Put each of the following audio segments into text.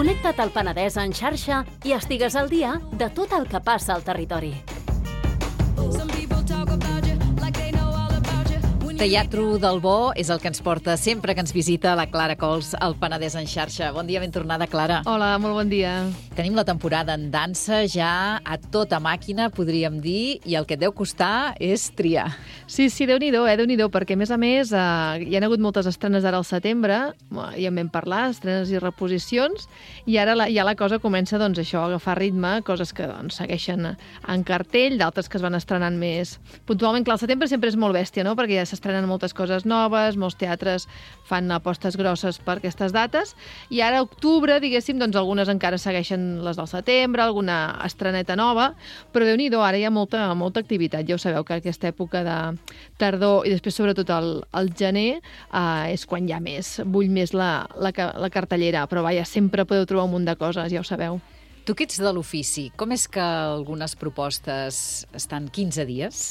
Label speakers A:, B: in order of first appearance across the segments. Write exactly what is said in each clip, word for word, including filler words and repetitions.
A: Connecta't al Penedès en xarxa i estigues al dia de tot el que passa al territori.
B: Teatro del Bo és el que ens porta sempre que ens visita la Clara Cols al Penedès en xarxa. Bon dia, ben tornada, Clara.
C: Hola, molt bon dia.
B: Tenim la temporada en dansa ja a tota màquina, podríem dir, i el que et deu costar és triar.
C: Sí, sí, Déu-n'hi-do, eh, Déu-n'hi-do, perquè a més a més eh, hi ha hagut moltes estrenes ara al setembre, ja en vam parlar, estrenes i reposicions, i ara la, ja la cosa comença, doncs, això, a agafar ritme, coses que doncs, segueixen en cartell, d'altres que es van estrenant més puntualment. Clar, el setembre sempre és molt bèstia, no?, perquè ja s'estrenen moltes coses noves, molts teatres fan apostes grosses per aquestes dates, i ara a octubre, diguéssim, doncs algunes encara segueixen les del setembre, alguna estreneta nova, però Déu-n'hi-do, ara hi ha molta, molta activitat. Ja ho sabeu que aquesta època de tardor i després sobretot el, el gener eh, és quan hi ha més, bull més la, la, la cartellera, però vaja, sempre podeu trobar un munt de coses, ja ho sabeu.
B: Tu que ets de l'ofici, com és que algunes propostes estan quinze dies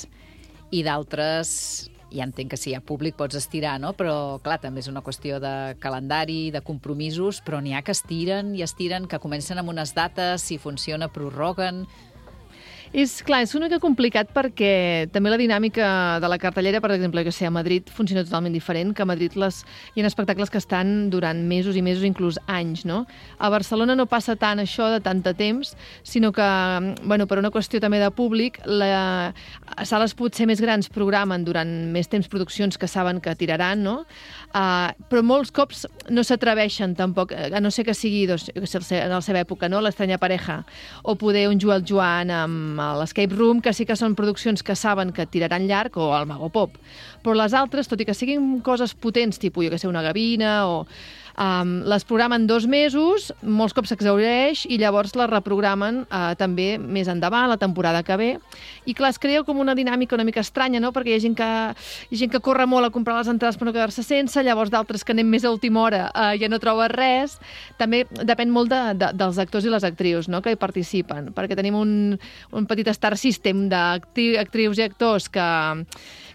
B: i d'altres, ja entenc que si hi ha públic pots estirar, no? Però clar, també és una qüestió de calendari, de compromisos, però n'hi ha que estiren i estiren, que comencen amb unes dates, si funciona prorroguen.
C: És clar, és una mica complicat perquè també la dinàmica de la cartellera, per exemple, que sé, a Madrid funciona totalment diferent, que a Madrid les, hi ha espectacles que estan durant mesos i mesos, inclús anys, no? A Barcelona no passa tant això de tant de temps, sinó que, bueno, per una qüestió també de públic, la, sales potser més grans programen durant més temps produccions que saben que tiraran, no? Uh, però molts cops no s'atreveixen tampoc, a no ser que sigui doncs, en la seva època, no? L'Estranya Pareja, o poder un Joel Joan amb l'Escape Room, que sí que són produccions que saben que tiraran llarg, o el Mago Pop. Però les altres, tot i que siguin coses potents, tipus, jo que sé, una Gavina, o um, les programen dos mesos, molts cops s'exhaureix, i llavors les reprogramen uh, també més endavant, la temporada que ve. I clar, es crea com una dinàmica una mica estranya, no? Perquè hi ha gent que, hi ha gent que corre molt a comprar les entrades per no quedar-se sense, llavors d'altres que anem més a última hora uh, ja no troba res. També depèn molt de, de, dels actors i les actrius, no?, que hi participen, perquè tenim un, un petit star system d'actrius i actors que,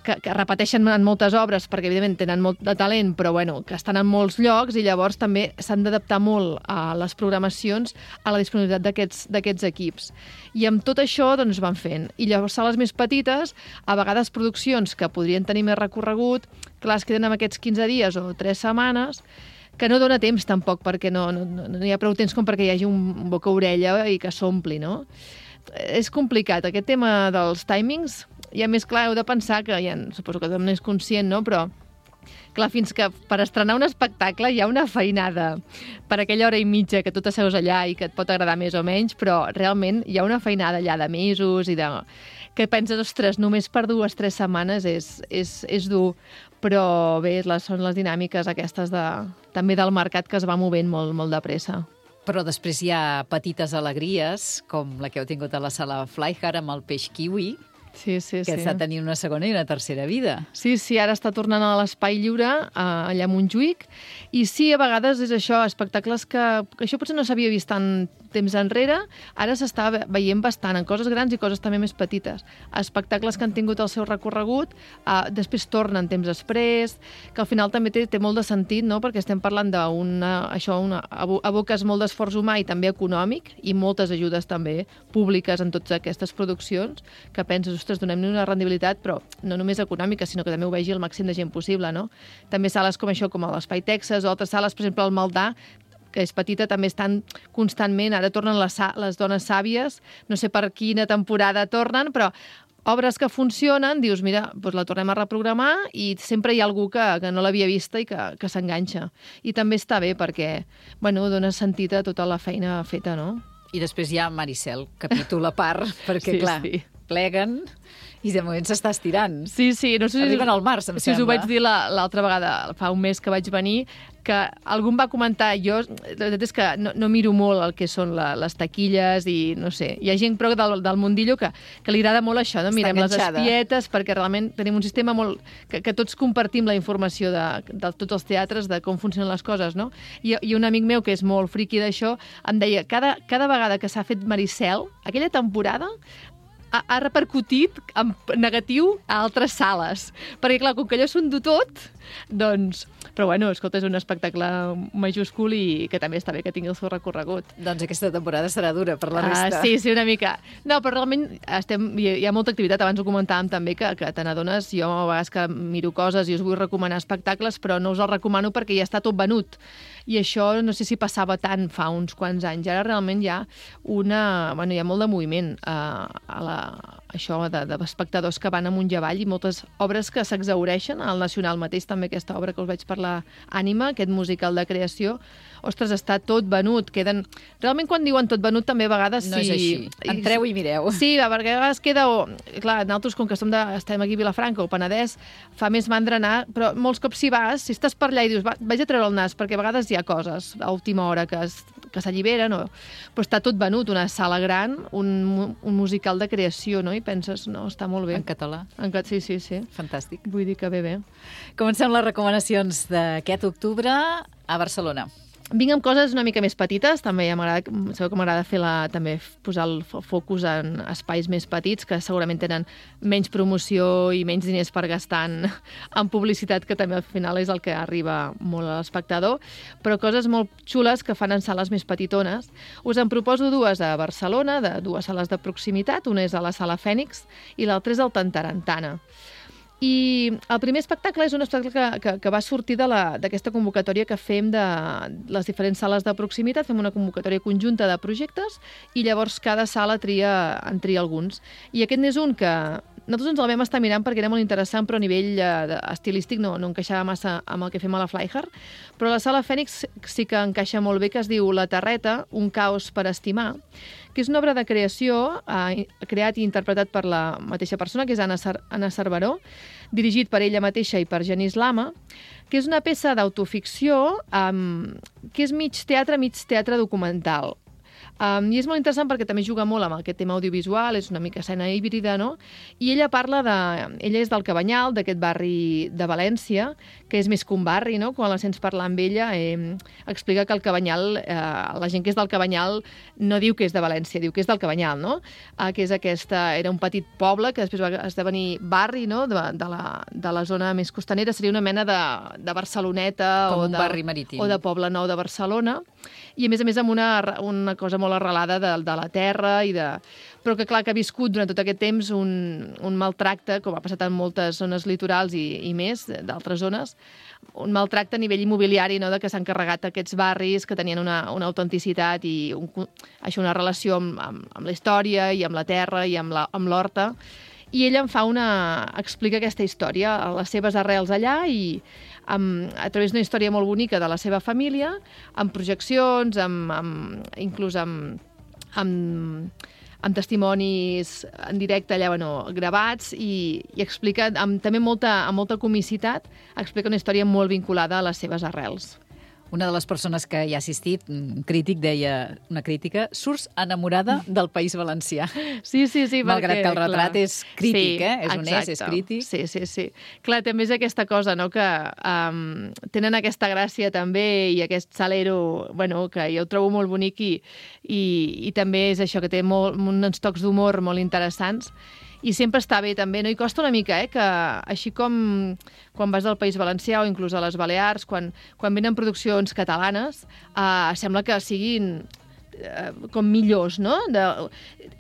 C: que, que repeteixen en moltes obres perquè evidentment tenen molt de talent, però bueno, que estan en molts llocs, i llavors també s'han d'adaptar molt a les programacions a la disponibilitat d'aquests d'aquests equips. I amb tot això doncs van fent. I llavors sales més petites, a vegades produccions que podrien tenir més recorregut, clar, es queden amb aquests quinze dies o tres setmanes, que no dona temps tampoc, perquè no, no, no hi ha prou temps com perquè hi hagi un boca-orella i que s'ompli, no? És complicat, aquest tema dels timings, i a més, clar, heu de pensar que, ja, suposo que tothom n'és conscient, no?, però clar, fins que per estrenar un espectacle hi ha una feinada per aquella hora i mitja que tu t'asseus allà i que et pot agradar més o menys, però realment hi ha una feinada allà de mesos i de... que penses, ostres, només per dues o tres setmanes és, és, és dur, però bé, les, són les dinàmiques aquestes de, també del mercat que es va movent molt, molt de pressa.
B: Però després hi ha petites alegries, com la que heu tingut a la sala Flyhard amb el peix kiwi,
C: Sí, sí,
B: que
C: sí.
B: està tenint una segona i una tercera vida.
C: Sí, sí, ara està tornant a l'Espai Lliure, allà a Montjuïc, i sí, a vegades és això, espectacles que, que això potser no s'havia vist tant temps enrere, ara s'està veient bastant en coses grans i coses també més petites. Espectacles que han tingut el seu recorregut, eh, després tornen temps després, que al final també té, té molt de sentit, no?, perquè estem parlant d'una, això, una, aboques molt d'esforç humà i també econòmic, i moltes ajudes també públiques en totes aquestes produccions, que penses, ostres, donem-li una rendibilitat, però no només econòmica, sinó que també ho vegi el màxim de gent possible, no? També sales com això, com l'Espai Texas, o altres sales, per exemple, el Maldà, que és petita, també estan constantment, ara tornen les, les dones sàvies, no sé per quina temporada tornen, però obres que funcionen, dius, mira, doncs la tornem a reprogramar i sempre hi ha algú que, que no l'havia vista i que, que s'enganxa. I també està bé perquè, bueno, dona sentit a tota la feina feta, no?
B: I després hi ha Maricel, capítol a part, perquè,
C: sí,
B: clar,
C: sí.
B: pleguen i de moment s'està estirant.
C: Sí, sí. No sé si
B: Arriben al març, em
C: si
B: sembla.
C: Si us ho vaig dir l'altra vegada, fa un mes que vaig venir, que algú em va comentar, jo, la veritat és que no, no miro molt el que són la, les taquilles i no sé, hi ha gent però del, del mundillo que, que li agrada molt això, no? Mirem les espietes, perquè realment tenim un sistema molt... que, que tots compartim la informació de, de tots els teatres, de com funcionen les coses, no? I, i un amic meu que és molt friqui d'això em deia, cada, cada vegada que s'ha fet Maricel, aquella temporada, ha, ha repercutit en negatiu a altres sales. Perquè, clar, com que allò s'ho endú tot, doncs... Però, bueno, escolta, és un espectacle majúscul i que també està bé que tingui el seu recorregut.
B: Doncs aquesta temporada serà dura per la resta.
C: Uh, sí, sí, una mica. No, però realment estem, hi, hi ha molta activitat. Abans ho comentàvem també, que, que te n'adones, jo a vegades que miro coses i us vull recomanar espectacles, però no us els recomano perquè ja està tot venut. I això no sé si passava tant fa uns quants anys. Ara realment hi ha una... Bueno, hi ha molt de moviment uh, a la, això de, de espectadors que van amunt i avall i moltes obres que s'exhaureixen. Al Nacional mateix també aquesta obra que us vaig parlar, Ànima, aquest musical de creació. Ostres, està tot venut. Queden... Realment quan diuen tot venut també a vegades...
B: No
C: sí...
B: és així. Entreu i mireu.
C: Sí, perquè a vegades queda... Clar, nosaltres, com que som de... estem aquí a Vilafranca o Penedès, fa més mandra anar, però molts cops si vas, si estàs per allà i dius, va, vaig a treure el nas, perquè a vegades hi ha coses a última hora que es que s'alliberen, no? Però està tot venut, una sala gran, un, un musical de creació, no? I penses, no, està molt bé.
B: En català.
C: En cat... Sí, sí, sí.
B: Fantàstic.
C: Vull dir que bé, bé.
B: Comencem les recomanacions d'aquest octubre a Barcelona.
C: Vinc amb coses una mica més petites, també ja m'agrada, sabeu que m'agrada fer la, també posar el focus en espais més petits, que segurament tenen menys promoció i menys diners per gastar en, en publicitat, que també al final és el que arriba molt a l'espectador, però coses molt xules que fan en sales més petitones. Us en proposo dues a Barcelona, de dues sales de proximitat, una és a la Sala Fènix i l'altra és al Tantarantana. I el primer espectacle és un espectacle que, que, que va sortir d'aquesta convocatòria que fem de les diferents sales de proximitat. Fem una convocatòria conjunta de projectes i llavors cada sala tria, en tria alguns. I aquest n'és un que nosaltres ens el vam estar mirant perquè era molt interessant, però a nivell eh, estilístic no, no encaixava massa amb el que fem a la Flyhard. Però la Sala Fènix sí que encaixa molt bé, que es diu La Terreta, un caos per estimar, que és una obra de creació eh, creat i interpretat per la mateixa persona, que és Anna, Cer Anna Cerveró, dirigit per ella mateixa i per Genís Lama, que és una peça d'autoficció eh, que és mig teatre, mig teatre documental. Um, I és molt interessant perquè també juga molt amb aquest tema audiovisual, és una mica escena híbrida, no? I ella parla de... Ella és del Cabanyal, d'aquest barri de València, que és més que un barri, no? Quan la sents parlar amb ella, eh, explica que el Cabanyal, eh, la gent que és del Cabanyal no diu que és de València, diu que és del Cabanyal, no? Eh, que és aquesta... Era un petit poble que després va esdevenir barri, no? De, de, la, de la zona més costanera, seria una mena de, de Barceloneta
B: com
C: o
B: un
C: de,
B: barri marítim.
C: O de Poble Nou de Barcelona. I a més a més amb una, una cosa molt arrelada de, de la terra i de... Però que clar que ha viscut durant tot aquest temps un, un maltracte, com ha passat en moltes zones litorals i, i més, d'altres zones, un maltracte a nivell immobiliari, no? De que s'han carregat aquests barris que tenien una, una autenticitat i un, això, una relació amb, amb, amb la història i amb la terra i amb l'horta. I ella em fa una... explica aquesta història, les seves arrels allà i amb, a través d'una història molt bonica de la seva família, amb projeccions, amb, amb, inclús amb, amb, amb testimonis en directe allà, bueno, gravats, i, i explica amb, també molta, amb molta comicitat, explica una història molt vinculada a les seves arrels.
B: Una de les persones que hi ha assistit, un crític, deia una crítica, surts enamorada del País Valencià.
C: Sí, sí, sí.
B: Malgrat
C: perquè,
B: que el retrat clar, és crític,
C: sí,
B: eh? És
C: exacte.
B: honest, és crític.
C: Sí, sí, sí. Clar, també és aquesta cosa, no?, que um, tenen aquesta gràcia també i aquest salero, bueno, que jo ho trobo molt bonic i, i, i també és això, que té molt, uns tocs d'humor molt interessants. I sempre està bé, també, no? I costa una mica, eh?, que així com quan vas al País Valencià o inclús a les Balears, quan, quan venen produccions catalanes, eh, sembla que siguin eh, com millors, no? De,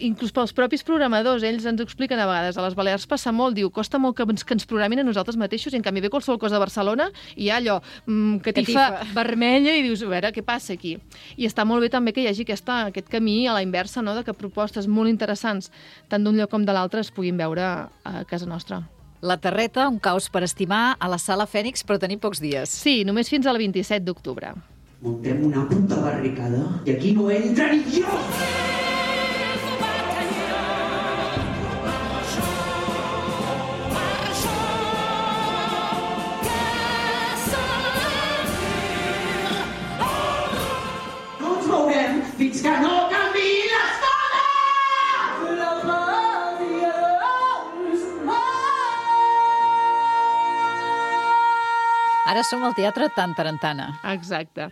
C: inclús pels propis programadors, ells ens ho expliquen a vegades. A les Balears passa molt, diu, costa molt que ens, que ens programin a nosaltres mateixos, i en canvi ve qualsevol cosa de Barcelona i hi ha allò, mm, catifa, catifa vermella, i dius, a veure, què passa aquí? I està molt bé també que hi hagi aquesta, aquest camí a la inversa, no?, de que propostes molt interessants, tant d'un lloc com de l'altre, es puguin veure a casa nostra.
B: La Terreta, un caos per estimar, a la Sala Fènix, però tenim pocs dies.
C: Sí, només fins al vint-i-set d'octubre.
D: Muntem una puta barricada i aquí no entra ni jo! No ens mourem fins que no canviï les coses! La màgia...
B: Ara som al Teatre Tantarantana.
C: Exacte.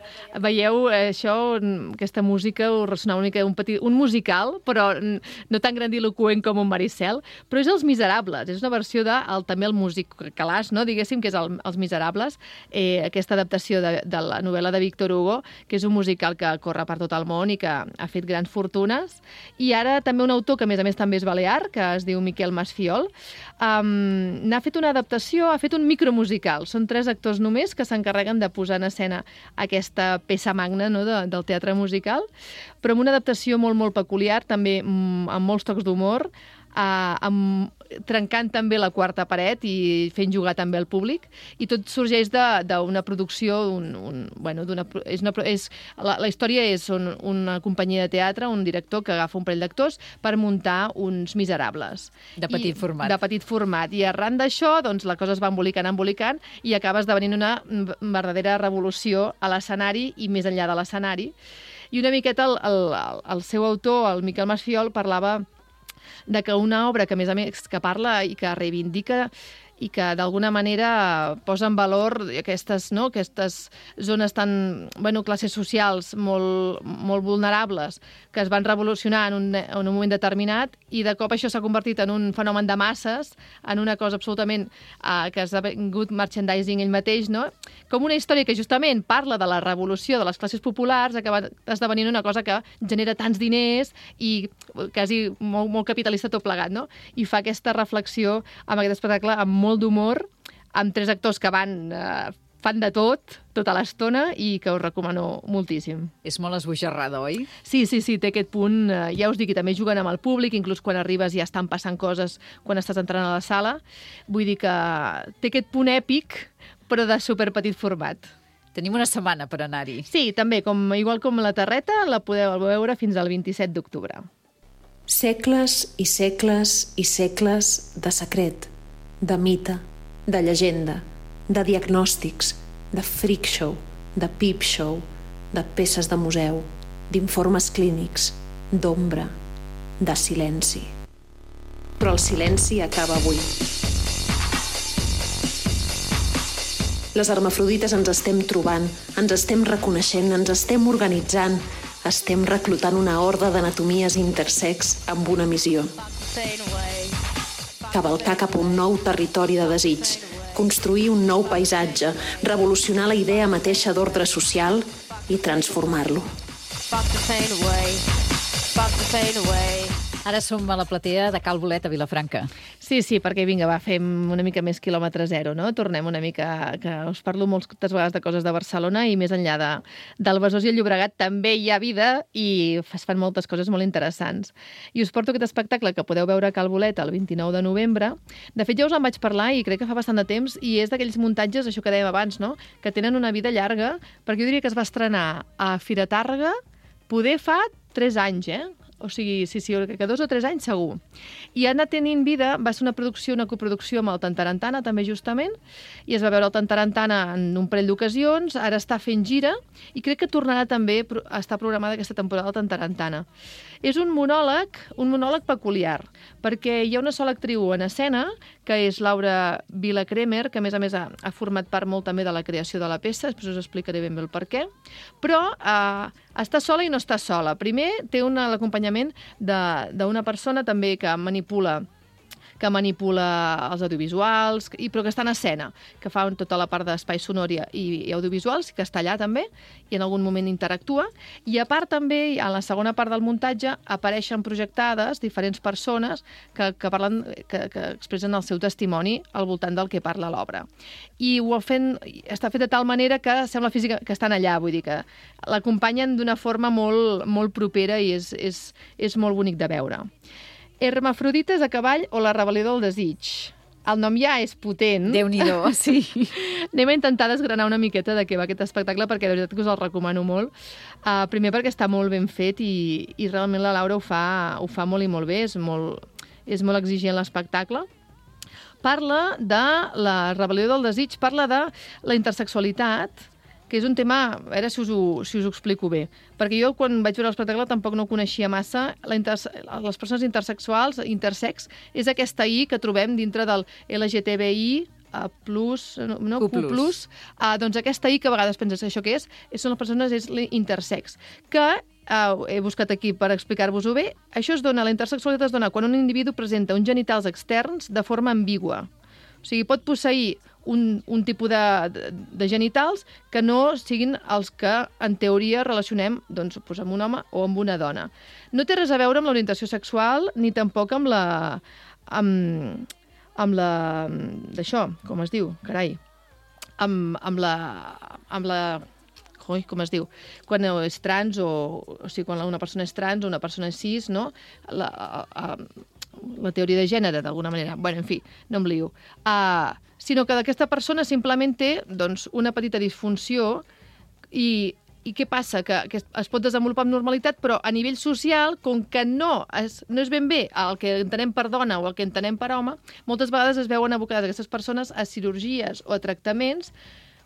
C: Veieu, eh, això, aquesta música, ho ressonava una mica un, petit, un musical, però no tan grandiloquent com un Maricel, però és Els Miserables. És una versió de el, també el músic Calàs, no? Diguéssim que és el, Els Miserables, eh, aquesta adaptació de, de la novel·la de Victor Hugo, que és un musical que corre per tot el món i que ha fet grans fortunes. I ara també un autor que, a més a més, també és balear, que es diu Miquel Masfiol, um, n'ha fet una adaptació, ha fet un micromusical. Són tres actors només que s'encarreguen de posar en escena aquesta peça magna, no?, de, del teatre musical, però amb una adaptació molt, molt peculiar, també amb molts tocs d'humor, Uh, amb, trencant també la quarta paret i fent jugar també el públic, i tot sorgeix d'una producció, un, un, bueno, és una, és, la, la història és un, una companyia de teatre, un director que agafa un parell d'actors per muntar uns Miserables.
B: De petit
C: I,
B: format.
C: De petit format. I arran d'això, doncs, la cosa es va embolicant, embolicant, i acaba esdevenint una verdadera revolució a l'escenari i més enllà de l'escenari. I una miqueta el, el, el seu autor, el Miquel Masfiol, parlava de que una obra que, a més a més, que parla i que reivindica i que d'alguna manera posa en valor aquestes, no, aquestes zones tan, bueno, classes socials molt, molt vulnerables que es van revolucionar en un, en un moment determinat, i de cop això s'ha convertit en un fenomen de masses, en una cosa absolutament uh, que ha esdevingut merchandising ell mateix, no? Com una història que justament parla de la revolució de les classes populars, acaba esdevenint una cosa que genera tants diners i quasi molt, molt capitalista tot plegat, no? I fa aquesta reflexió amb aquest espectacle amb molt d'humor, amb tres actors que van, eh, fan de tot, tota l'estona, i que us recomano moltíssim.
B: És molt esbojarrada, oi?
C: Sí, sí, sí, té aquest punt, eh, ja us dic, i també juguen amb el públic, inclús quan arribes ja estan passant coses quan estàs entrant a la sala. Vull dir que té aquest punt èpic, però de superpetit format.
B: Tenim una setmana per anar-hi.
C: Sí, també, com, igual com la Terreta, la podeu veure fins al vint-i-set d'octubre.
E: Segles i segles i segles de secret, de mite, de llegenda, de diagnòstics, de freak show, de peep show, de peces de museu, d'informes clínics, d'ombra, de silenci. Però el silenci acaba avui. Les hermafrodites ens estem trobant, ens estem reconeixent, ens estem organitzant, estem reclutant una horda d'anatomies intersex amb una missió. Cavalcar cap a un nou territori de desig, construir un nou paisatge, revolucionar la idea mateixa d'ordre social i transformar-lo.
B: Ara som a la platea de Cal Bolet, a Vilafranca.
C: Sí, sí, perquè vinga, va, fem una mica més quilòmetre zero, no? Tornem una mica, que us parlo moltes vegades de coses de Barcelona, i més enllà de, del Besòs i el Llobregat també hi ha vida i es fan moltes coses molt interessants. I us porto aquest espectacle que podeu veure a Cal Bolet el vint-i-nou de novembre. De fet, ja us en vaig parlar i crec que fa bastant de temps, i és d'aquells muntatges, això que dèiem abans, no?, que tenen una vida llarga, perquè jo diria que es va estrenar a Fira Tàrrega, poder fa tres anys, eh? O sigui, sí, sí, que dos o tres anys segur. I ha anat tenint vida, va ser una producció, una coproducció amb el Tantarantana, també justament, i es va veure el Tantarantana en un parell d'ocasions, ara està fent gira, i crec que tornarà també a estar programada aquesta temporada del Tantarantana. És un monòleg, un monòleg peculiar, perquè hi ha una sola actriu en escena, que és Laura Vila-Cremer, que a més a més ha, ha format part molt també de la creació de la peça, després us explicaré ben bé el per què, però eh, està sola i no està sola. Primer té una, l'acompanyament d'una persona també que manipula que manipula els audiovisuals, i, però que està en escena, que fa tota la part d'espai sonor i, i audiovisuals, que està allà també, i en algun moment interactua. I a part també, a la segona part del muntatge, apareixen projectades diferents persones que, que, parlen, que, que expressen el seu testimoni al voltant del que parla l'obra. I ho fent, està fet de tal manera que sembla física que estan allà, vull dir que l'acompanyen d'una forma molt, molt propera i és, és, és molt bonic de veure. Hermafrodites a cavall o la rebel·lió del desig. El nom ja és potent.
B: Déu-n'hi-do, sí.
C: Anem a intentar desgranar una miqueta de què va aquest espectacle, perquè de veritat que us el recomano molt. Uh, primer perquè està molt ben fet i, i realment la Laura ho fa, ho fa molt i molt bé, és molt, és molt exigent l'espectacle. Parla de la rebel·lió del desig, parla de la intersexualitat, que és un tema, a veure si us ho, si us ho explico bé, perquè jo quan vaig veure l'espectacle tampoc no coneixia massa la inter... les persones intersexuals, intersex, és aquesta I que trobem dintre del L G T B I a plus, no, no
B: Q+.
C: Q plus, uh, doncs aquesta I que a vegades penses que això què és, són les persones, és l'intersex, que Uh, he buscat aquí per explicar-vos-ho bé. Això es dona, la intersexualitat es dona quan un individu presenta uns genitals externs de forma ambigua. O sigui, pot posseir un, un tipus de, de, de genitals que no siguin els que, en teoria, relacionem doncs, doncs, amb un home o amb una dona. No té res a veure amb l'orientació sexual ni tampoc amb la... amb, amb la... d'això, com es diu, carai. Amb, amb la... amb la Ui, com es diu, quan és trans o, o sigui, quan una persona és trans o una persona és cis, no? La, a, a, la teoria de gènere, d'alguna manera. Bueno, en fi, no em lio. Uh, sinó que aquesta persona simplement té doncs, una petita disfunció i, i què passa? Que, que es pot desenvolupar amb normalitat, però a nivell social, com que no és, no és ben bé el que entenem per dona o el que entenem per home, moltes vegades es veuen abocades aquestes persones a cirurgies o a tractaments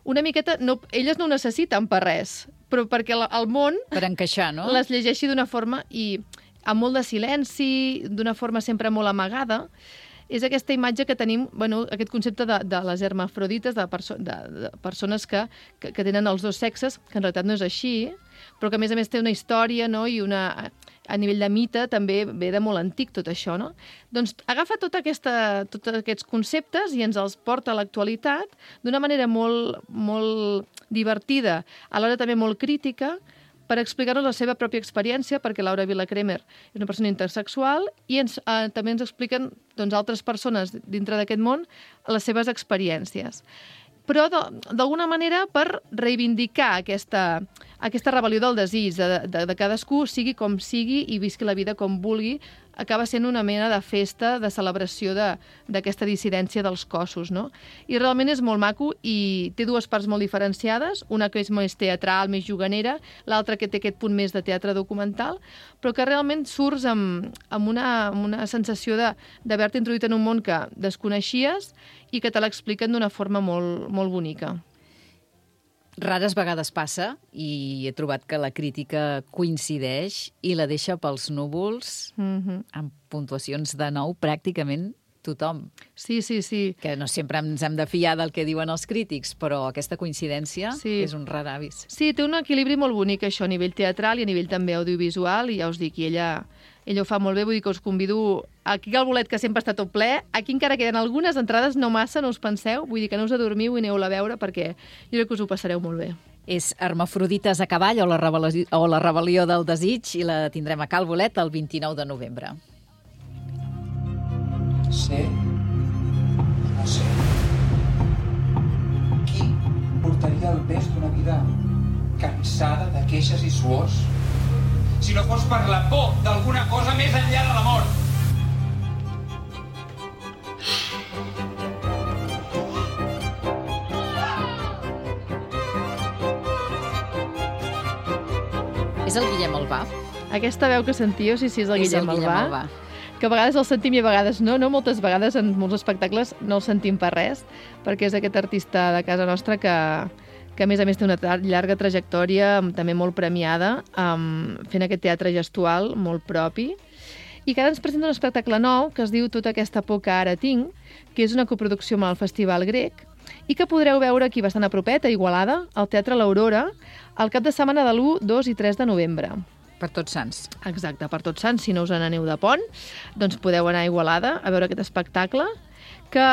C: una miqueta, no, elles no ho necessiten per res, però perquè el, el món
B: per encaixar, no?
C: Les llegeixi d'una forma i amb molt de silenci, d'una forma sempre molt amagada. És aquesta imatge que tenim, bueno, aquest concepte de, de les hermafrodites, de, perso de, de persones que, que, que tenen els dos sexes, que en realitat no és així, però que a més a més té una història, no? I una, a nivell de mite també ve de molt antic tot això, no? Doncs agafa tota aquesta, tots aquests conceptes i ens els porta a l'actualitat d'una manera molt, molt divertida, alhora també molt crítica, per explicar-nos la seva pròpia experiència, perquè Laura Vila-Cremer és una persona intersexual i ens, eh, també ens expliquen doncs, altres persones dintre d'aquest món les seves experiències. Però d'alguna manera per reivindicar aquesta, aquesta rebel·lió del desig de, de, de cadascú, sigui com sigui i visqui la vida com vulgui, acaba sent una mena de festa, de celebració d'aquesta dissidència dels cossos, no? I realment és molt maco i té dues parts molt diferenciades, una que és més teatral, més juganera, l'altra que té aquest punt més de teatre documental, però que realment surts amb, amb, una, amb una sensació d'haver-te introduït en un món que desconeixies i que te l'expliquen d'una forma molt, molt bonica.
B: Rares vegades passa, i he trobat que la crítica coincideix i la deixa pels núvols, mm-hmm. amb puntuacions de nou pràcticament tothom.
C: Sí, sí, sí.
B: Que no sempre ens hem de fiar del que diuen els crítics, però aquesta coincidència
C: sí.
B: és un rar avis.
C: Sí, té un equilibri molt bonic, això, a nivell teatral i a nivell també audiovisual, i ja us dic, i ella, ella ho fa molt bé, vull dir que us convido aquí al bolet, que sempre està tot ple, aquí encara queden algunes entrades, no massa, no us penseu, vull dir que no us adormiu i aneu-la a veure, perquè jo crec que us ho passareu molt bé.
B: És Hermafrodites a cavall o la, rebel·lió, o la rebel·lió del desig, i la tindrem a Cal Bolet el vint-i-nou de novembre.
F: Sé, no sé. Qui portaria el pes d'una vida cansada de queixes i suors si no fos per la por d'alguna cosa més enllà de la mort?
B: És el Guillem Albà?
C: Aquesta veu que sentíeu, sí, sí, és el
B: és
C: Guillem,
B: el Guillem
C: Albà.
B: Albà.
C: Que a vegades el sentim i a vegades no, no? Moltes vegades en molts espectacles no el sentim per res, perquè és aquest artista de casa nostra que, que a més a més té una llarga trajectòria, també molt premiada, um, fent aquest teatre gestual molt propi, i que ara ens presenta un espectacle nou que es diu Tota aquesta por que ara tinc, que és una coproducció amb el Festival Grec, i que podreu veure aquí bastant a propet, a Igualada, al Teatre L'Aurora, al cap de setmana de l'u, dos i tres de novembre.
B: Per Tots Sants.
C: Exacte, per Tots Sants, si no us n'aneu de pont, doncs podeu anar a Igualada a veure aquest espectacle, que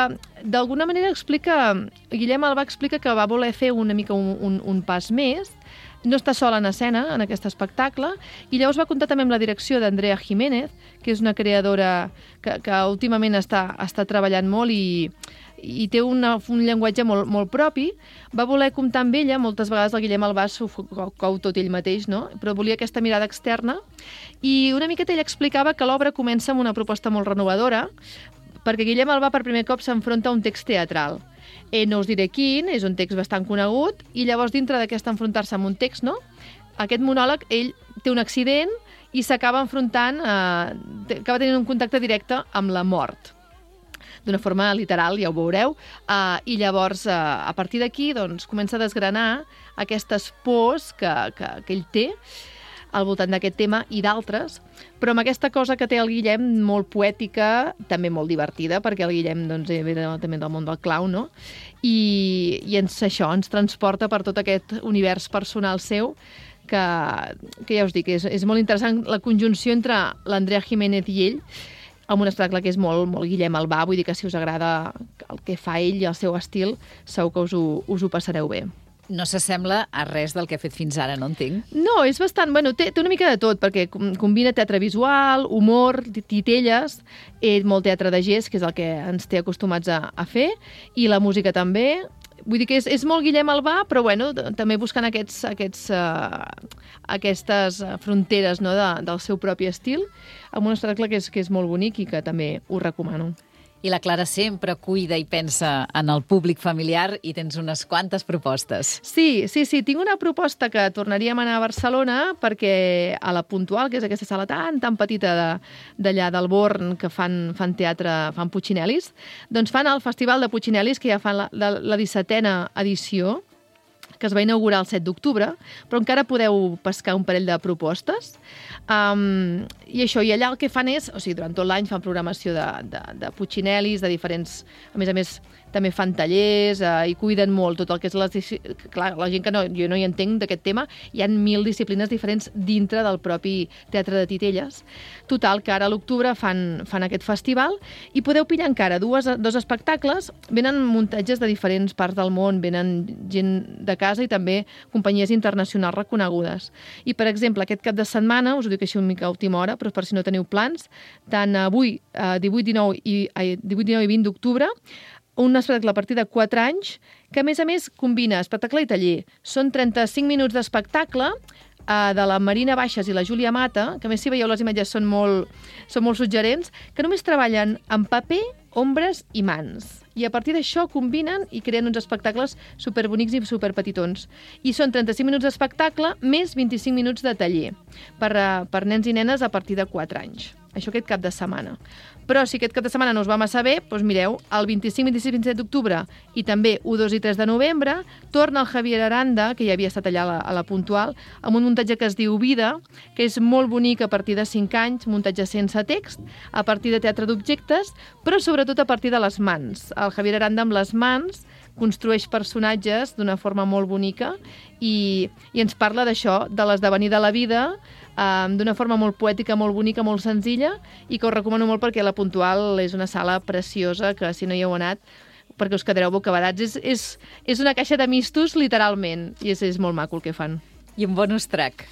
C: d'alguna manera explica, Guillem Albà explica que va voler fer una mica un, un, un pas més, no està sola en escena en aquest espectacle, i llavors va comptar també amb la direcció d'Andrea Jiménez, que és una creadora que, que últimament està, està treballant molt i, i té una, un llenguatge molt, molt propi. Va voler comptar amb ella, moltes vegades el Guillem Albà s'ho cou tot ell mateix, no? Però volia aquesta mirada externa, i una miqueta ell explicava que l'obra comença amb una proposta molt renovadora, perquè Guillem Albà per primer cop s'enfronta a un text teatral. Eh, no us diré quin, és un text bastant conegut, i llavors dintre d'aquest enfrontar-se amb un text, no? Aquest monòleg, ell té un accident i s'acaba enfrontant, eh, acaba tenint un contacte directe amb la mort, d'una forma literal, ja ho veureu, uh, i llavors, uh, a partir d'aquí, doncs, comença a desgranar aquestes pors que, que, que ell té. al voltant d'aquest tema i d'altres, però amb aquesta cosa que té el Guillem, molt poètica, també molt divertida, perquè el Guillem doncs, ve també del món del clown, no? I, i ens, això ens transporta per tot aquest univers personal seu, que, que ja us dic, és, és molt interessant la conjunció entre l'Andrea Jiménez i ell, amb un espectacle que és molt, molt Guillem Albà, vull dir que si us agrada el que fa ell i el seu estil, segur que us ho, us ho passareu bé.
B: No s'assembla a res del que ha fet fins ara, no entenc?
C: No, és bastant... Bueno, té, té una mica de tot, perquè combina teatre visual, humor, titelles, eh, molt teatre de gest, que és el que ens té acostumats a, a fer, i la música també. Vull dir que és, és molt Guillem Albà, però bueno, també buscant aquests, aquests, uh, aquestes fronteres, no, de, del seu propi estil, amb un espectacle que és, que és molt bonic i que també us recomano.
B: I la Clara sempre cuida i pensa en el públic familiar i tens unes quantes propostes.
C: Sí, sí, sí. Tinc una proposta que tornaríem a anar a Barcelona perquè a la Puntual, que és aquesta sala tan, tan petita d'allà del Born, que fan, fan teatre, fan Puccinelis, doncs fan el Festival de Puccinelis, que ja fan la, la, la dissetena edició, que es va inaugurar el set d'octubre, però encara podeu pescar un parell de propostes. Um, I això, i allà el que fan és, o sigui, durant tot l'any fan programació de, de, de Puccinelis, de diferents... A més a més, també fan tallers eh, i cuiden molt tot el que és... Les, clar, la gent que no, jo no hi entenc d'aquest tema, hi ha mil disciplines diferents dintre del propi teatre de titelles. Total, que ara a l'octubre fan, fan aquest festival i podeu pillar encara dues, dos espectacles. Venen muntatges de diferents parts del món, venen gent de casa i també companyies internacionals reconegudes. I, per exemple, aquest cap de setmana, us ho dic així una mica a última hora, però per si no teniu plans, tant avui, eh, divuit, dinou i, eh, divuit, dinou i vint d'octubre, un espectacle a partir de quatre anys, que a més a més combina espectacle i taller. Són trenta-cinc minuts d'espectacle eh, de la Marina Baixes i la Júlia Mata, que a més si veieu les imatges són molt, són molt suggerents, que només treballen en paper, ombres i mans. I a partir d'això combinen i creen uns espectacles superbonics i superpetitons. I són trenta-cinc minuts d'espectacle més vint-i-cinc minuts de taller per, uh, per nens i nenes a partir de quatre anys. Això aquest cap de setmana. Però si aquest cap de setmana no us va massa bé, doncs mireu, el vint-i-cinc, vint-i-sis, vint-i-set d'octubre i també u, dos i tres de novembre torna el Javier Aranda, que ja havia estat allà a la, a la Puntual, amb un muntatge que es diu Vida, que és molt bonic a partir de cinc anys, muntatge sense text, a partir de teatre d'objectes, però sobretot a partir de les mans. El Javier Aranda amb les mans construeix personatges d'una forma molt bonica i, i ens parla d'això, de l'esdevenir de la vida, um, d'una forma molt poètica, molt bonica, molt senzilla, i que us recomano molt perquè la Puntual és una sala preciosa que si no hi heu anat perquè us quedareu bocabadats. És, és, és una caixa de mistos, literalment, i és, és molt maco el que fan.
B: I un bonus track.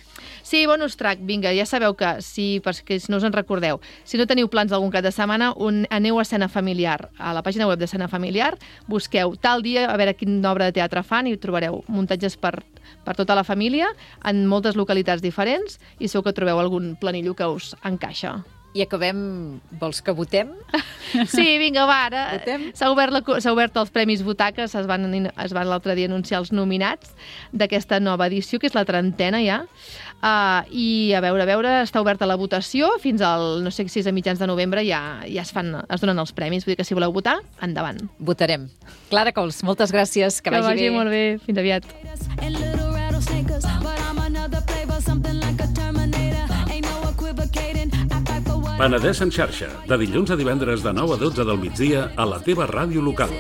C: Sí, bonus track, vinga, ja sabeu que, si, perquè no us en recordeu, si no teniu plans d'algun cap de setmana, un, aneu a Escena Familiar, a la pàgina web d'Escena Familiar, busqueu tal dia, a veure quina obra de teatre fan i trobareu muntatges per, per tota la família, en moltes localitats diferents, i segur que trobeu algun planillo que us encaixa.
B: I acabem... Vols que votem?
C: Sí, vinga, va, ara
B: Votem?
C: s'ha obert, la, s'ha obert els Premis Butaques, es van, es van l'altre dia anunciar els nominats d'aquesta nova edició, que és la trentena ja, uh, i a veure, a veure, està oberta la votació, fins al, no sé si és a mitjans de novembre, ja, ja es, fan, es donen els premis, vull dir que si voleu votar, endavant.
B: Votarem. Clara Cols, moltes gràcies, que,
C: que
B: vagi,
C: vagi
B: bé.
C: molt bé, fins aviat.
G: Penedès en xarxa, de dilluns a divendres de nou a dotze del migdia a la teva ràdio local.